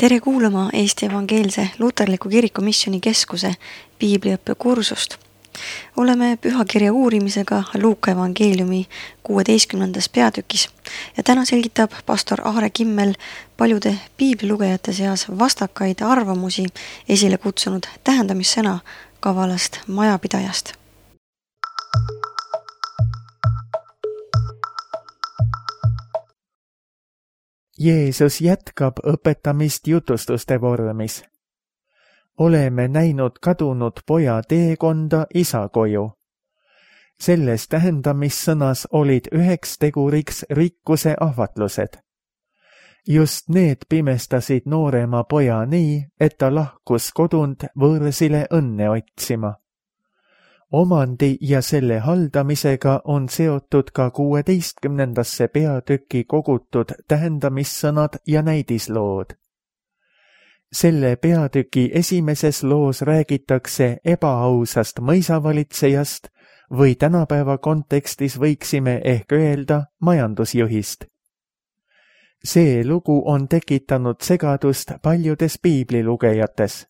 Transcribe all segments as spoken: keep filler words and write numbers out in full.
Tere kuulama Eesti Evangeelse Luterliku Kiriku Missiooni Keskuse piibliõppe kursust. Oleme pühakirja uurimisega Luuka evangeeliumi kuueteistkümnendas peatükis ja täna selgitab pastor Aare Kimmel paljude piiblilugejate seas vastakaid arvamusi esile kutsunud tähendamissõna kavalast majapidajast. Jeesus jätkab õpetamist jutustuste vormis. Oleme näinud kadunud poja teekonda isa koju. Selles tähendamissõnas olid üheks teguriks rikkuse ahvatlused. Just need pimestasid noorema poja nii, et ta lahkus kodunt võõrsile õnne otsima. Omandi ja selle haldamisega on seotud ka kuueteistkümnendasse peatükki kogutud tähendamissõnad ja näidislood. Selle peatüki esimeses loos räägitakse ebaausast mõisavalitsejast või tänapäeva kontekstis võiksime ehk öelda majandusjuhist. See lugu on tekitanud segadust paljudes piiblilugejates.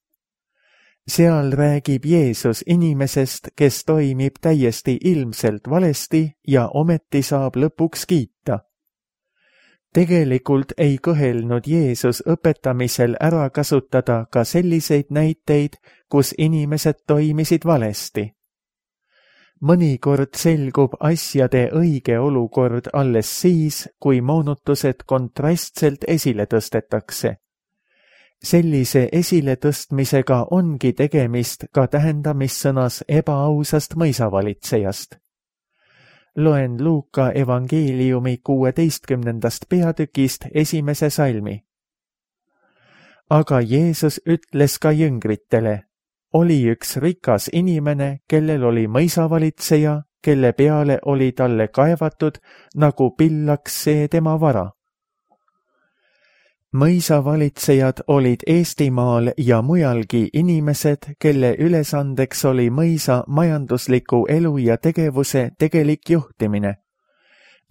Seal räägib Jeesus inimesest, kes toimib täiesti ilmselt valesti ja ometi saab lõpuks kiita. Tegelikult ei kõhelnud Jeesus õpetamisel ära kasutada ka selliseid näiteid, kus inimesed toimisid valesti. Mõnikord selgub asjade õige olukord alles siis, kui moonutused kontrastselt esile tõstetakse. Sellise esiletõstmisega ongi tegemist ka tähendamissõnas ebaausast mõisavalitsejast. Loen Luuka evangeeliumi kuueteistkümnendast peatükist esimese salmi. Aga Jeesus ütles ka jüngritele, oli üks rikas inimene, kellel oli mõisavalitseja, kelle peale oli talle kaevatud, nagu pillaks see tema vara. Mõisavalitsejad olid Eestimaal ja mujalgi inimesed, kelle ülesandeks oli mõisa majandusliku elu ja tegevuse tegelik juhtimine.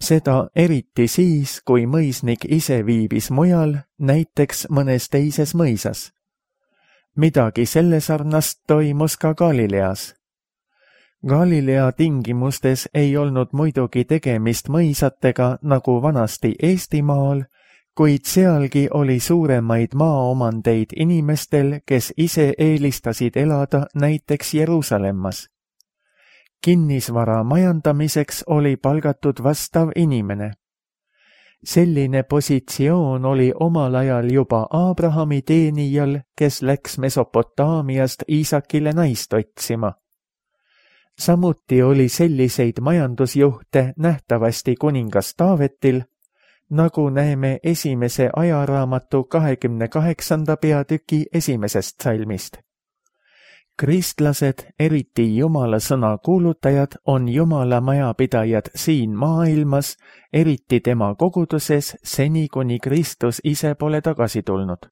Seda eriti siis, kui mõisnik ise viibis mujal, näiteks mõnes teises mõisas. Midagi selle sarnast toimus ka Galileas. Galilea tingimustes ei olnud muidugi tegemist mõisatega nagu vanasti Eestimaal, kuid sealgi oli suuremaid maaomandeid inimestel, kes ise eelistasid elada näiteks Jeruusalemmas. Kinnisvara majandamiseks oli palgatud vastav inimene. Selline positsioon oli omal ajal juba Abrahami teenijal, kes läks Mesopotaamiast Iisakile naist otsima. Samuti oli selliseid majandusjuhte nähtavasti kuningas Taavetil, nagu näeme esimese ajaraamatu kahekümne kaheksanda peatüki esimesest salmist. Kristlased, eriti Jumala sõna kuulutajad, on Jumala majapidajad siin maailmas, eriti tema koguduses, seni kuni Kristus ise pole tagasi tulnud.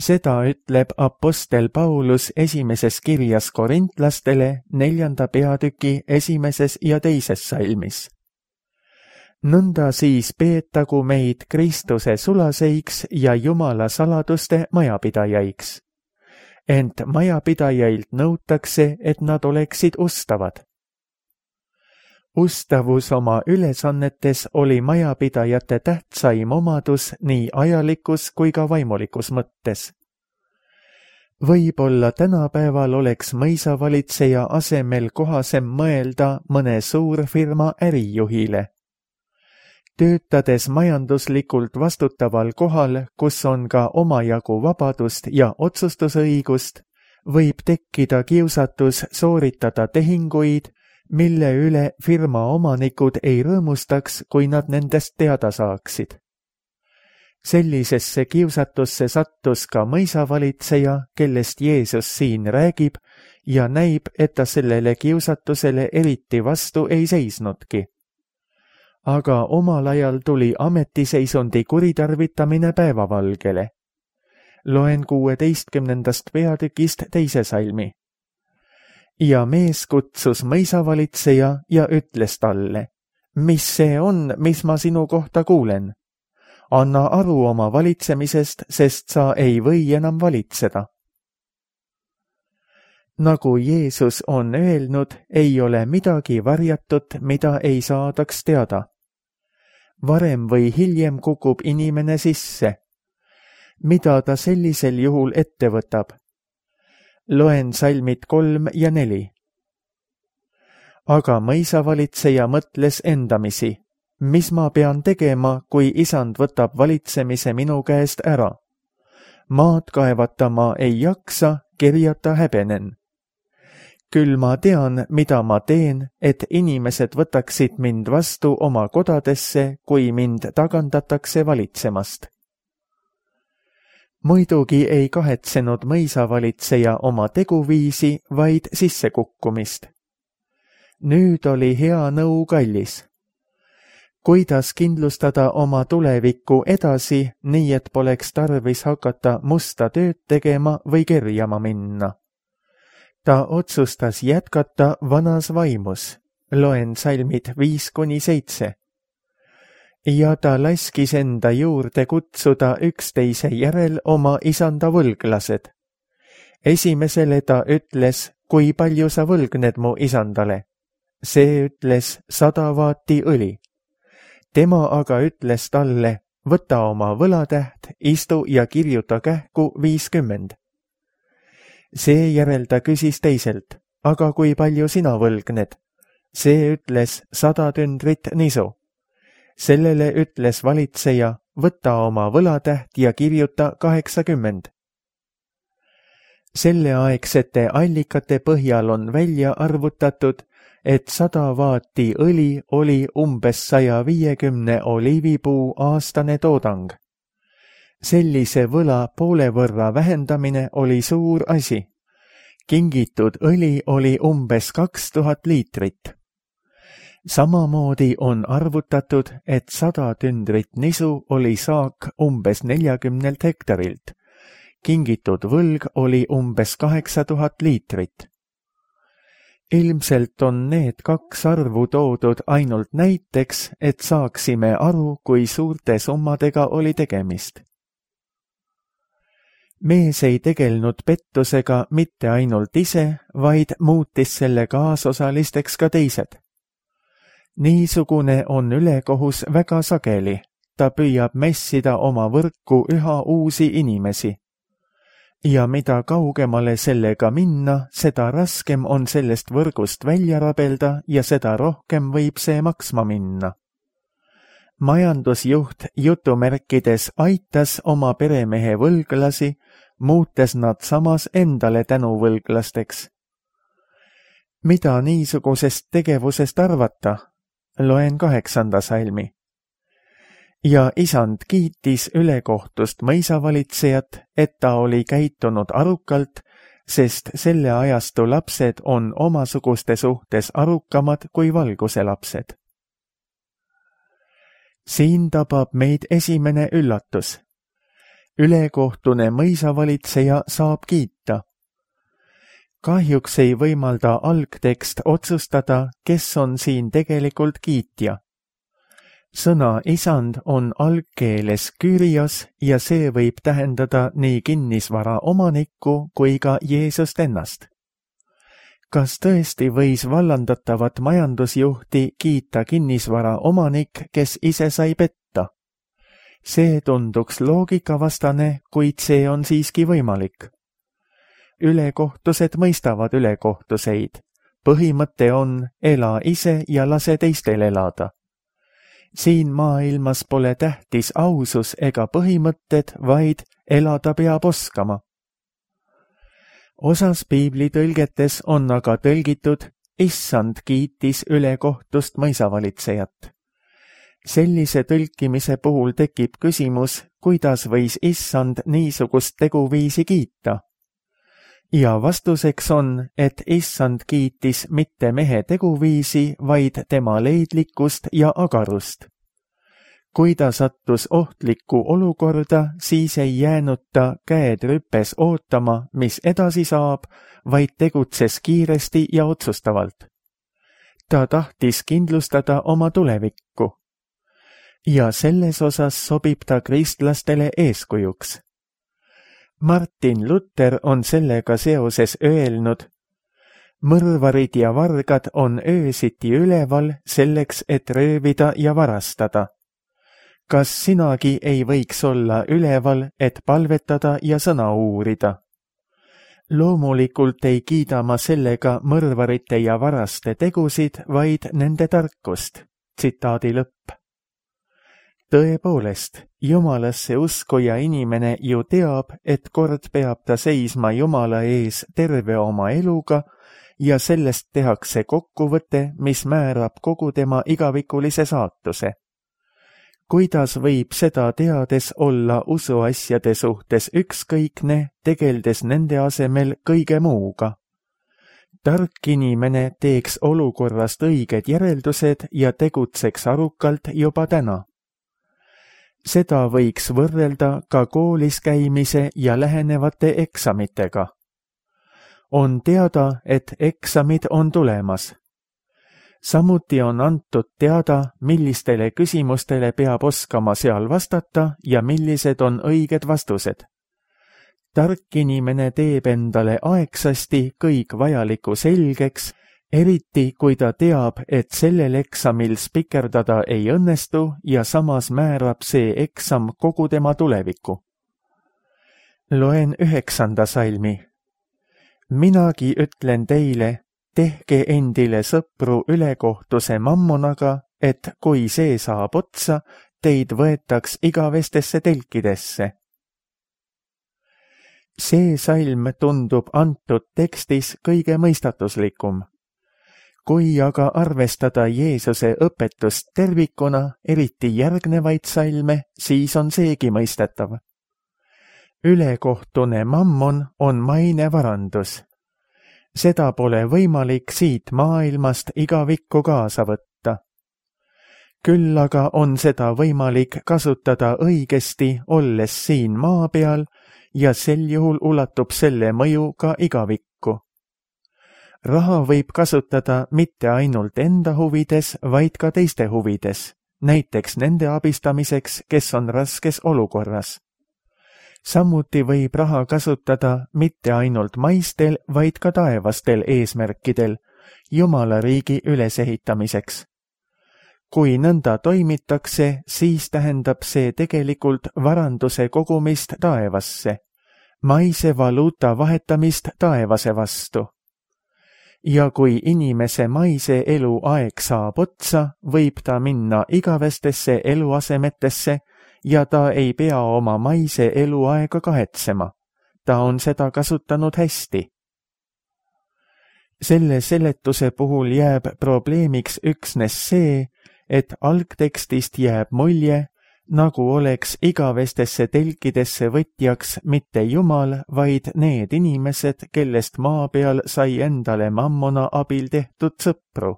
Seda ütleb apostel Paulus esimeses kirjas korintlastele neljanda peatüki esimeses ja teises salmis. Nõnda siis peetagu meid Kristuse sulaseiks ja Jumala saladuste majapidajaiks. Ent majapidajailt nõutakse, et nad oleksid ustavad. Ustavus oma ülesannetes oli majapidajate tähtsaim omadus nii ajalikus kui ka vaimulikus mõttes. Võib-olla tänapäeval oleks mõisavalitseja asemel kohasem mõelda mõne suurfirma ärijuhile. Töötades majanduslikult vastutaval kohal, kus on ka omajagu vabadust ja otsustusõigust, võib tekkida kiusatus sooritada tehinguid, mille üle firma omanikud ei rõõmustaks, kui nad nendest teada saaksid. Sellisesse kiusatusse sattus ka mõisavalitseja, kellest Jeesus siin räägib, ja näib, et ta sellele kiusatusele eriti vastu ei seisnudki. Aga omal ajal tuli ametiseisundi kuritarvitamine päevavalgele. Loen kuueteistkümnendast peatükist teise salmi. Ja mees kutsus mõisavalitseja ja ütles talle, mis see on, mis ma sinu kohta kuulen? anna aru oma valitsemisest, sest sa ei või enam valitseda. Nagu Jeesus on öelnud, ei ole midagi varjatut, mida ei saadaks teada. Varem või hiljem kukub inimene sisse. Mida ta sellisel juhul ette võtab? Loen salmid kolm ja neli. Aga mõisavalitseja mõtles endamisi, mis ma pean tegema, kui isand võtab valitsemise minu käest ära. Maad kaevata ma ei jaksa, kerjata häbenen. Küll ma tean, mida ma teen, et inimesed võtaksid mind vastu oma kodadesse, kui mind tagandatakse valitsemast. Muidugi ei kahetsenud mõisavalitseja oma teguviisi, vaid sissekukkumist. Nüüd oli hea nõu kallis. Kuidas kindlustada oma tulevikku edasi, nii et poleks tarvis hakata musta tööd tegema või kerjama minna? Ta otsustas jätkata vanas vaimus. Loen salmid viis kuni seitse. Ja ta laskis enda juurde kutsuda üksteise järel oma isanda võlglased. Esimesele ta ütles, kui palju sa võlgned mu isandale. See ütles sada vaati õli. Tema aga ütles talle, võta oma võlatäht, istu ja kirjuta kähku viiskümmend. Seejärel ta küsis teiselt, aga kui palju sina võlgned? See ütles sada tündrit nisu. Sellele ütles valitseja, võta oma võlatäht ja kirjuta kaheksakümmend. Selleaegsete allikate põhjal on välja arvutatud, et sada vaati õli oli umbes saja viiekümne oliivipuu aastane toodang. Sellise võla poole võrra vähendamine oli suur asi. Kingitud õli oli umbes kaks tuhat liitrit. Samamoodi on arvutatud, et sada tündrit nisu oli saak umbes neljakümnelt hektarilt. Kingitud võlg oli umbes kaheksa tuhat liitrit. Ilmselt on need kaks arvu toodud ainult näiteks, et saaksime aru, kui suurte summadega oli tegemist. Mees ei tegelnud pettusega mitte ainult ise, vaid muutis selle kaasosalisteks ka teised. Niisugune on ülekohus väga sageli. Ta püüab messida oma võrku üha uusi inimesi. Ja mida kaugemale sellega minna, seda raskem on sellest võrgust välja rabelda ja seda rohkem võib see maksma minna. Majandusjuht jutumärkides aitas oma peremehe võlglasi, muutes nad samas endale tänuvõlglasteks. Mida niisugusest tegevusest arvata? Loen kaheksanda salmi. Ja isand kiitis ülekohtust mõisavalitsejat, et ta oli käitunud arukalt, sest selle ajastu lapsed on omasuguste suhtes arukamad kui valguse lapsed. Siin tabab meid esimene üllatus. Ülekohtune mõisavalitseja saab kiita. Kahjuks ei võimalda algtekst otsustada, kes on siin tegelikult kiitja. Sõna isand on algkeeles Kyrios ja see võib tähendada nii kinnisvara omanikku kui ka Jeesust ennast. Kas tõesti võis vallandatavat majandusjuhti kiita kinnisvara omanik, kes ise sai petta? See tunduks loogikavastane, kuid see on siiski võimalik. Ülekohtused mõistavad ülekohtuseid. Põhimõte on ela ise ja lase teistel elada. Siin maailmas pole tähtis ausus ega põhimõtted, vaid elada peab oskama. Osas piiblitõlgetes on aga tõlgitud, issand kiitis ülekohtust mõisavalitsejat. Sellise tõlkimise puhul tekib küsimus, kuidas võis issand niisugust teguviisi kiita. Ja vastuseks on, et issand kiitis mitte mehe teguviisi, vaid tema leidlikkust ja agarust. Kui ta sattus ohtlikku olukorda, siis ei jäänud ta käed rüpes ootama, mis edasi saab, vaid tegutses kiiresti ja otsustavalt. Ta tahtis kindlustada oma tulevikku. ja selles osas sobib ta kristlastele eeskujuks. Martin Luther on sellega seoses öelnud: mõrvarid ja vargad on öösiti üleval selleks, et röövida ja varastada. Kas sinagi ei võiks olla üleval, et palvetada ja sõna uurida? Loomulikult ei kiida ma sellega mõrvarite ja varaste tegusid, vaid nende tarkust. Tsitaadi lõpp. Tõepoolest, Jumalasse uskuja inimene ju teab, et kord peab ta seisma Jumala ees terve oma eluga ja sellest tehakse kokkuvõte, mis määrab kogu tema igavikulise saatuse. Kuidas võib seda teades olla usuasjade suhtes ükskõikne, tegeldes nende asemel kõige muuga? Tark inimene teeks olukorrast õiged järeldused ja tegutseks arukalt juba täna. Seda võiks võrrelda ka koolis käimise ja lähenevate eksamitega. On teada, et eksamid on tulemas. Samuti on antud teada, millistele küsimustele peab oskama seal vastata ja millised on õiged vastused. Tark inimene teeb endale aegsasti kõik vajaliku selgeks, eriti kui ta teab, et sellel eksamil spikerdada ei õnnestu ja samas määrab see eksam kogu tema tuleviku. Loen üheksanda salmi. Minagi ütlen teile, tehke endile sõpru ülekohtuse mammonaga, et kui see saab otsa, teid võetaks igavestesse telkidesse. See salm tundub antud tekstis kõige mõistatuslikum. Kui aga arvestada Jeesuse õpetust tervikuna, eriti järgnevaid salme, siis on seegi mõistetav. Ülekohtune mammon on mainevarandus. Seda pole võimalik siit maailmast igavikku kaasa võtta. Küll aga on seda võimalik kasutada õigesti, olles siin maa peal, ja sel juhul ulatub selle mõju ka igavikku. Raha võib kasutada mitte ainult enda huvides, vaid ka teiste huvides, näiteks nende abistamiseks, kes on raskes olukorras. Samuti võib raha kasutada mitte ainult maistel, vaid ka taevastel eesmärkidel, Jumala riigi ülesehitamiseks. Kui nõnda toimitakse, siis tähendab see tegelikult varanduse kogumist taevasse, maise valuuta vahetamist taevase vastu. Ja kui inimese maise eluaeg saab otsa, võib ta minna igavestesse eluasemetesse ja ta ei pea oma maise eluaega kahetsema. Ta on seda kasutanud hästi. Selle seletuse puhul jääb probleemiks üksnes see, et algtekstist jääb mulje, nagu oleks igavestesse telkidesse võtjaks mitte Jumal, vaid need inimesed, kellest maa peal sai endale mammona abil tehtud sõpru.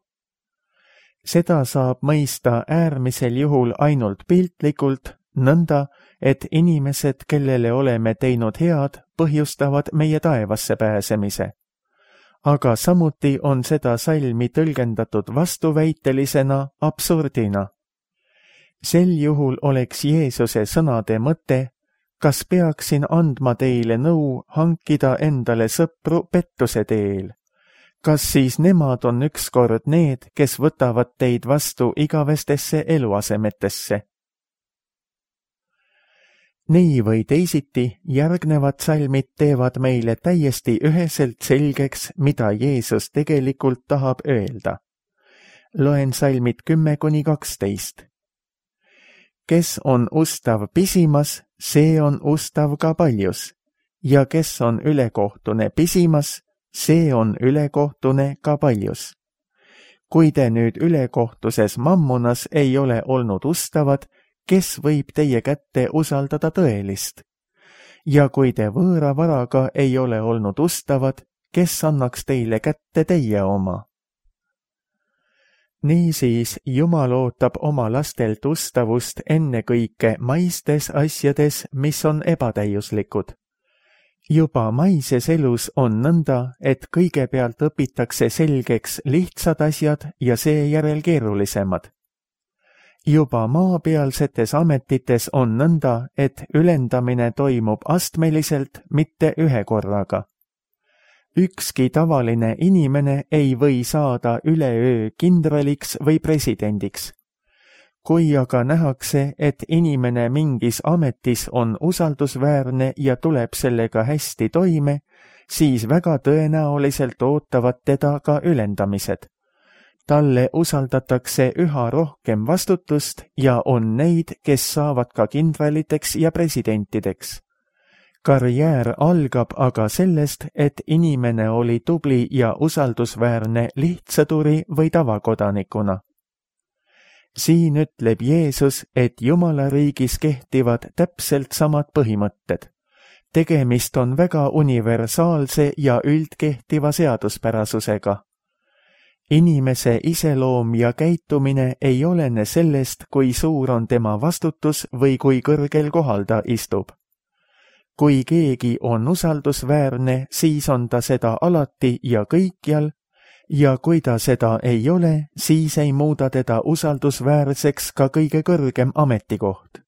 Seda saab mõista äärmisel juhul ainult piltlikult, nõnda, et inimesed, kellele oleme teinud head, põhjustavad meie taevasse pääsemise. Aga samuti on seda salmi tõlgendatud vastuväitelisena, absurdina. Sel juhul oleks Jeesuse sõnade mõte, kas peaksin andma teile nõu hankida endale sõpru pettuse teel. Kas siis nemad on ükskord need, kes võtavad teid vastu igavestesse eluasemetesse? Nii või teisiti, järgnevad salmid teevad meile täiesti üheselt selgeks, mida Jeesus tegelikult tahab öelda. Loen salmid kümme kuni kaksteist. Kes on ustav pisimas, see on ustav ka paljus, ja kes on ülekohtune pisimas, see on ülekohtune ka paljus. Kui te nüüd ülekohtuses mammonas ei ole olnud ustavad, kes võib teie kätte usaldada tõelist? Ja kui te võõra varaga ei ole olnud ustavad, kes annaks teile kätte teie oma? Niisiis, Jumal ootab oma lastelt ustavust ennekõike maistes asjades, mis on ebatäiuslikud. Juba maises elus on nõnda, et kõigepealt õpitakse selgeks lihtsad asjad ja seejärel keerulisemad. juba maapealsetes ametites on nõnda, et ülendamine toimub astmeliselt, mitte ühe korraga. Ükski tavaline inimene ei või saada üleöö kindraliks või presidendiks. Kui aga nähakse, et inimene mingis ametis on usaldusväärne ja tuleb sellega hästi toime, siis väga tõenäoliselt ootavad teda ka ülendamised. Talle usaldatakse üha rohkem vastutust ja on neid, kes saavad ka kindraliteks ja presidentideks. Karjäär algab aga sellest, et inimene oli tubli ja usaldusväärne lihtsõduri või tavakodanikuna. Siin ütleb Jeesus, et Jumala riigis kehtivad täpselt samad põhimõtted. Tegemist on väga universaalse ja üldkehtiva seaduspärasusega. Inimese iseloom ja käitumine ei olene sellest, kui suur on tema vastutus või kui kõrgel kohal ta istub. Kui keegi on usaldusväärne, siis on ta seda alati ja kõikjal, ja kui ta seda ei ole, siis ei muuda teda usaldusväärseks ka kõige kõrgem ametikoht.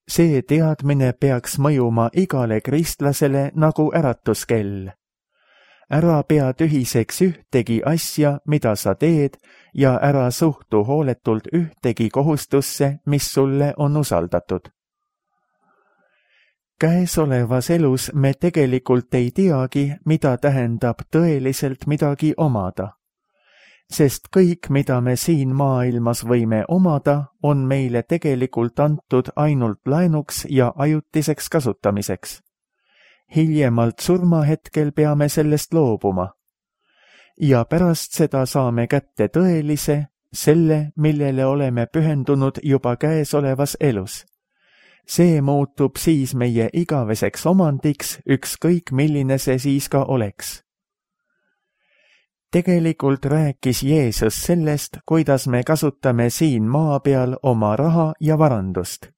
See teadmine peaks mõjuma igale kristlasele nagu äratuskell. Ära pea tühiseks ühtegi asja, mida sa teed, ja ära suhtu hooletult ühtegi kohustusse, mis sulle on usaldatud. Käesolevas elus me tegelikult ei teagi, mida tähendab tõeliselt midagi omada. Sest kõik, mida me siin maailmas võime omada, on meile tegelikult antud ainult laenuks ja ajutiseks kasutamiseks. Hiljemalt surmahetkel peame sellest loobuma. Ja pärast seda saame kätte tõelise, selle, millele oleme pühendunud juba käesolevas elus. See muutub siis meie igaveseks omandiks, ükskõik milline see siis ka oleks. Tegelikult rääkis Jeesus sellest, kuidas me kasutame siin maa peal oma raha ja varandust.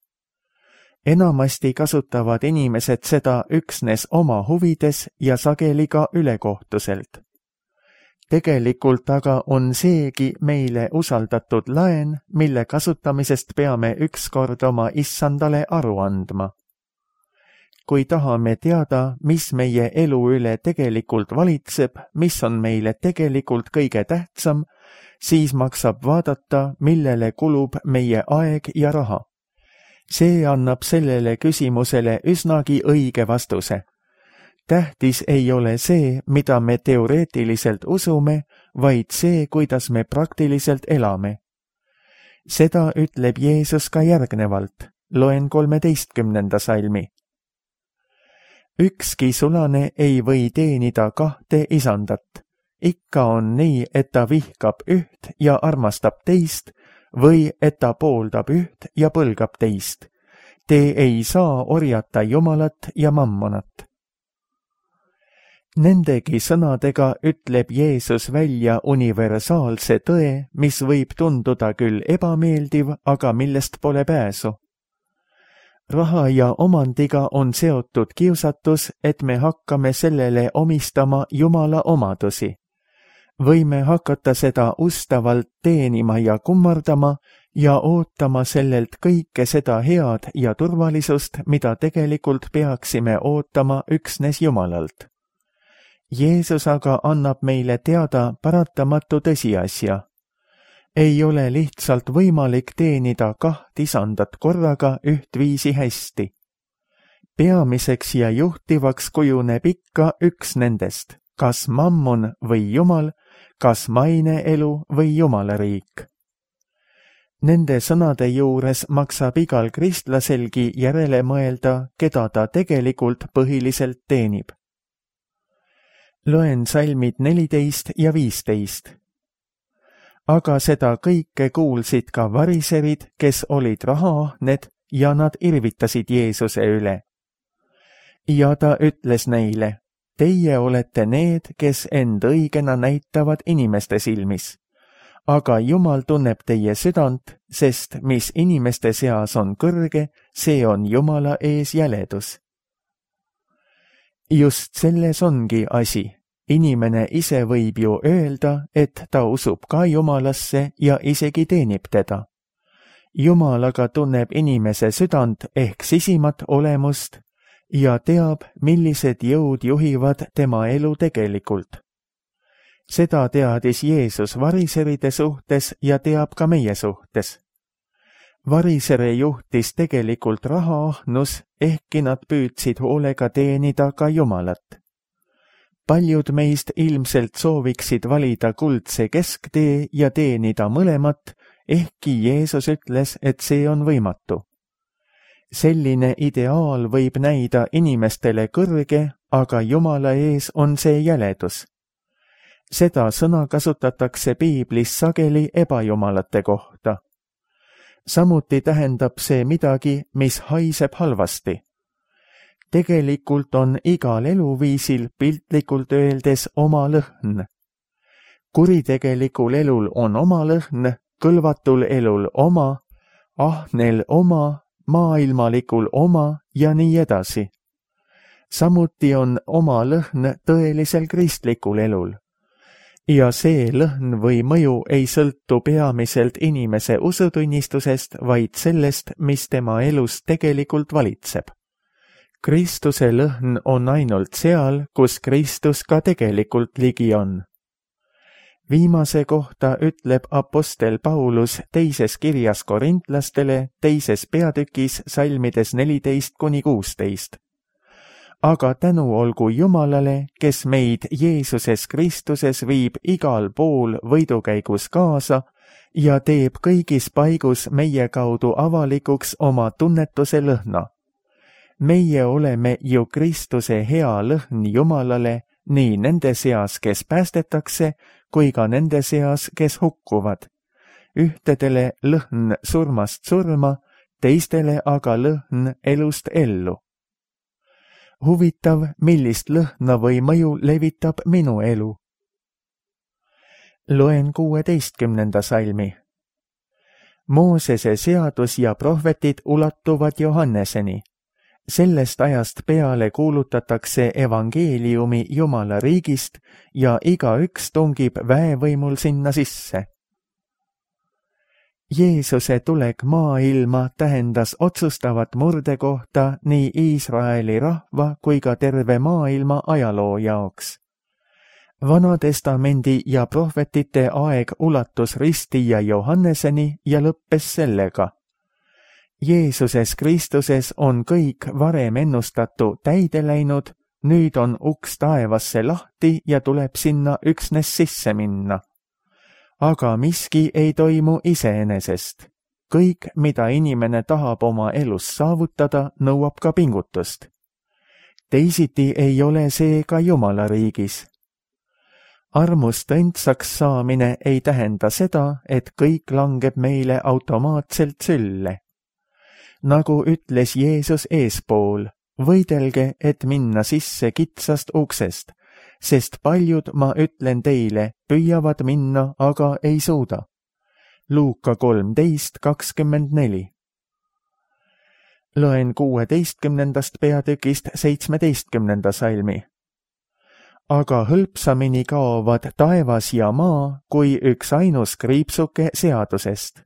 Enamasti kasutavad inimesed seda üksnes oma huvides ja sageli ka ülekohtuselt. Tegelikult aga on seegi meile usaldatud laen, mille kasutamisest peame ükskord oma issandale aru andma. Kui tahame teada, mis meie elu üle tegelikult valitseb, mis on meile tegelikult kõige tähtsam, siis maksab vaadata, millele kulub meie aeg ja raha. See annab sellele küsimusele üsnagi õige vastuse. Tähtis ei ole see, mida me teoreetiliselt usume, vaid see, kuidas me praktiliselt elame. Seda ütleb Jeesus ka järgnevalt. Loen kolmeteistkümnenda salmi. Ükski sulane ei või teenida kahte isandat. Ikka on nii, et ta vihkab üht ja armastab teist, või et ta pooldab üht ja põlgab teist. Te ei saa orjata Jumalat ja mammonat. Nendegi sõnadega ütleb Jeesus välja universaalse tõe, mis võib tunduda küll ebameeldiv, aga millest pole pääsu. Raha ja omandiga on seotud kiusatus, et me hakkame sellele omistama Jumala omadusi. Võime hakata seda ustavalt teenima ja kummardama ja ootama sellelt kõike seda head ja turvalisust, mida tegelikult peaksime ootama üksnes Jumalalt. Jeesus aga annab meile teada paratamatu tõsiasja. Ei ole lihtsalt võimalik teenida kaht isandat korraga ühtviisi hästi. Peamiseks ja juhtivaks kujuneb ikka üks nendest, kas mammon või Jumal, kas maineelu või Jumala riik. Nende sõnade juures maksab igal kristlaselgi järele mõelda, keda ta tegelikult põhiliselt teenib. Loen salmid neliteist ja viisteist. Aga seda kõike kuulsid ka variserid, kes olid rahaahned ja nad irvitasid Jeesuse üle. Ja ta ütles neile, teie olete need, kes end õigena näitavad inimeste silmis. Aga Jumal tunneb teie südant, sest mis inimeste seas on kõrge, see on Jumala ees jäledus. Just selles ongi asi. Inimene ise võib ju öelda, et ta usub ka Jumalasse ja isegi teenib teda. Jumal aga tunneb inimese südant ehk sisimat olemust ja teab, millised jõud juhivad tema elu tegelikult. Seda teadis Jeesus variseride suhtes ja teab ka meie suhtes. Varisere juhtis tegelikult rahaahnus, ehkki nad püüdsid hoolega teenida ka Jumalat. Paljud meist ilmselt sooviksid valida kuldse kesktee ja teenida mõlemat, ehkki Jeesus ütles, et see on võimatu. Selline ideaal võib näida inimestele kõrge, aga Jumala ees on see jäledus. Seda sõna kasutatakse Piiblis sageli ebajumalate kohta. Samuti tähendab see midagi, mis haiseb halvasti. Tegelikult on igal eluviisil piltlikult öeldes oma lõhn. Kuritegelikul elul on oma lõhn, kõlvatul elul oma, ahnel oma, maailmalikul oma ja nii edasi. Samuti on oma lõhn tõelisel kristlikul elul. Ja see lõhn või mõju ei sõltu peamiselt inimese usutunnistusest, vaid sellest, mis tema elus tegelikult valitseb. Kristuse lõhn on ainult seal, kus Kristus ka tegelikult ligi on. Viimase kohta ütleb apostel Paulus teises kirjas korintlastele teises peatükis salmides neliteist kuni kuusteist. Aga tänu olgu Jumalale, kes meid Jeesuses Kristuses viib igal pool võidukäigus kaasa ja teeb kõigis paigus meie kaudu avalikuks oma tunnetuse lõhna. Meie oleme ju Kristuse hea lõhn Jumalale nii nende seas, kes päästetakse, kui ka nende seas, kes hukkuvad. Ühtedele lõhn surmast surma, teistele aga lõhn elust ellu. Huvitav, millist lõhna või mõju levitab minu elu. Loen kuueteistkümnenda salmi. Moosese seadus ja prohvetid ulatuvad Johanneseni. Sellest ajast peale kuulutatakse evangeeliumi Jumala riigist ja igaüks tungib väevõimul sinna sisse. Jeesuse tulek maailma tähendas otsustavat murdekohta nii Iisraeli rahva kui ka terve maailma ajaloo jaoks. Vanatestamendi ja prohvetite aeg ulatus ristija Johanneseni ja lõppes sellega. Jeesuses Kristuses on kõik varem ennustatu täide läinud, nüüd on uks taevasse lahti ja tuleb sinna üksnes sisse minna. Aga miski ei toimu iseenesest. Kõik, mida inimene tahab oma elus saavutada, nõuab ka pingutust. Teisiti ei ole see ka Jumala riigis. Armust õndsaks saamine ei tähenda seda, et kõik langeb meile automaatselt sülle. Nagu ütles Jeesus eespool, võidelge, et minna sisse kitsast uksest, sest paljud, ma ütlen teile, püüavad minna, aga ei suuda. Luuka kolmteist kakskümmend neli. Loen kuueteistkümnendast peatükist seitsmeteistkümnenda salmi. Aga hõlpsamini kaovad taevas ja maa, kui üks ainus kriipsuke seadusest.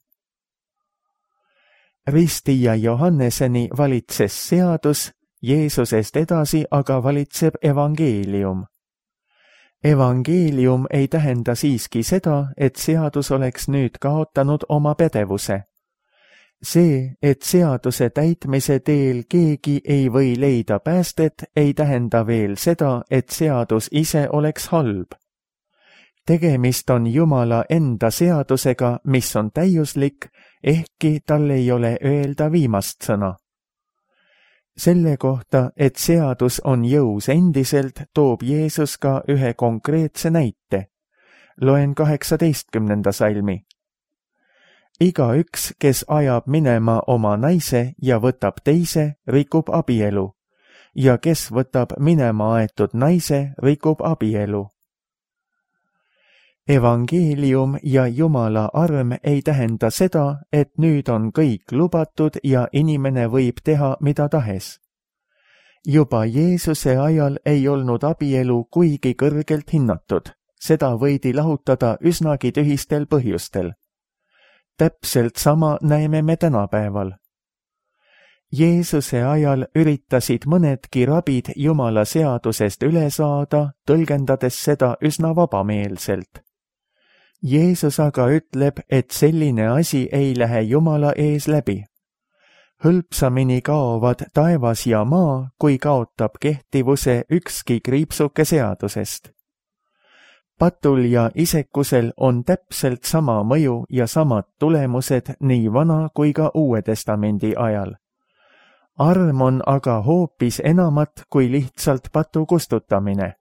Ristija Johanneseni valitses seadus, Jeesusest edasi aga valitseb evangeelium. Evangeelium ei tähenda siiski seda, et seadus oleks nüüd kaotanud oma pädevuse. See, et seaduse täitmise teel keegi ei või leida päästet, ei tähenda veel seda, et seadus ise oleks halb. Tegemist on Jumala enda seadusega, mis on täiuslik, ehkki tal ei ole öelda viimast sõna. Selle kohta, et seadus on jõus endiselt, toob Jeesus ka ühe konkreetse näite. Loen kaheksateistkümnenda salmi. Igaüks, kes ajab minema oma naise ja võtab teise, rikub abielu, ja kes võtab minema aetud naise, rikub abielu. Evangeelium ja Jumala arm ei tähenda seda, et nüüd on kõik lubatud ja inimene võib teha mida tahes. Juba Jeesuse ajal ei olnud abielu kuigi kõrgelt hinnatud, seda võidi lahutada üsnagi tühistel põhjustel. täpselt sama näeme me tänapäeval. Jeesuse ajal üritasid mõnedki rabid Jumala seadusest üle saada, tõlgendades seda üsna vabameelselt. Jeesus aga ütleb, et selline asi ei lähe Jumala ees läbi. Hõlpsamini kaovad taevas ja maa, kui kaotab kehtivuse ükski kriipsuke seadusest. Patul ja isekusel on täpselt sama mõju ja samad tulemused nii Vana kui ka Uue Testamendi ajal. Arm on aga hoopis enamat kui lihtsalt patu kustutamine.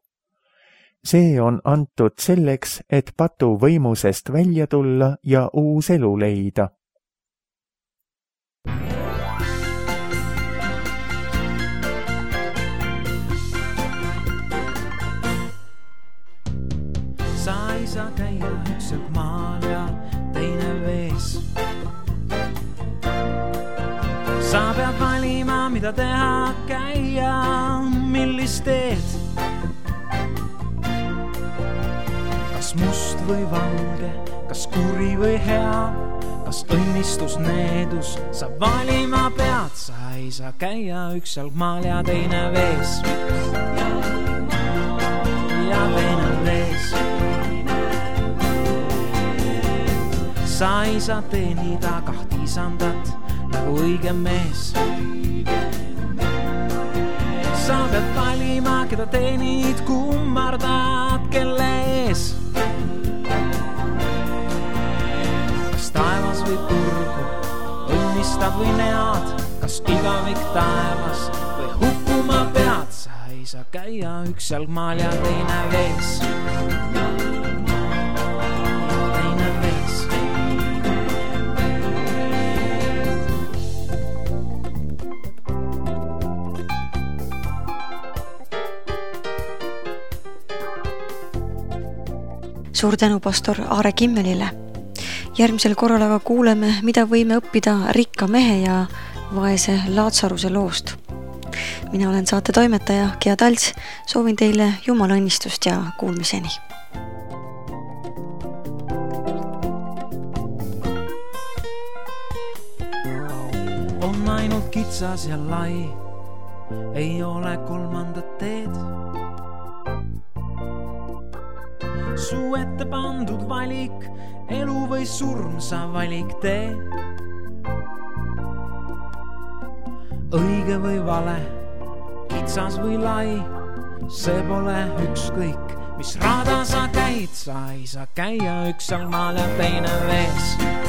See on antud selleks, et patu võimusest välja tulla ja uus elu leida. Sa ei saa käia ükselt maal ja teine vees. Sa pead valima, mida teha, käia, millist teed. Kas must või valge, kas kuri või hea, kas õnnistus, needus, sa valima pead. Sa ei saa käia ükselt maal ja teine vees. Ja teine vees. Sa ei saa teenida kahti isandat nagu õige mees. Sa pead valima, keda teenid, kummardad, kelle ees. Kas taevas või purgu, õnnistad või nead, kas igavik taevas või hukkuma pead. Sa ei saa käia üks jalgmaal ja teine vees. Teine vees. Suur tänu pastor Aare Kimmelile. Järgmisel korral aga kuuleme, mida võime õppida rikka mehe ja vaese Laatsaruse loost. Mina olen saate toimetaja Gea Talts, soovin teile Jumala õnnistust ja kuulmiseni. On ainult kitsas ja lai, ei ole kolmandat teed. Su ette pandud valik, elu või surm, sa valik tee. Õige või vale, kitsas või lai, see pole ükskõik, mis rada sa käid. Sa ei saa käia üks jalgmaal ja teine vees.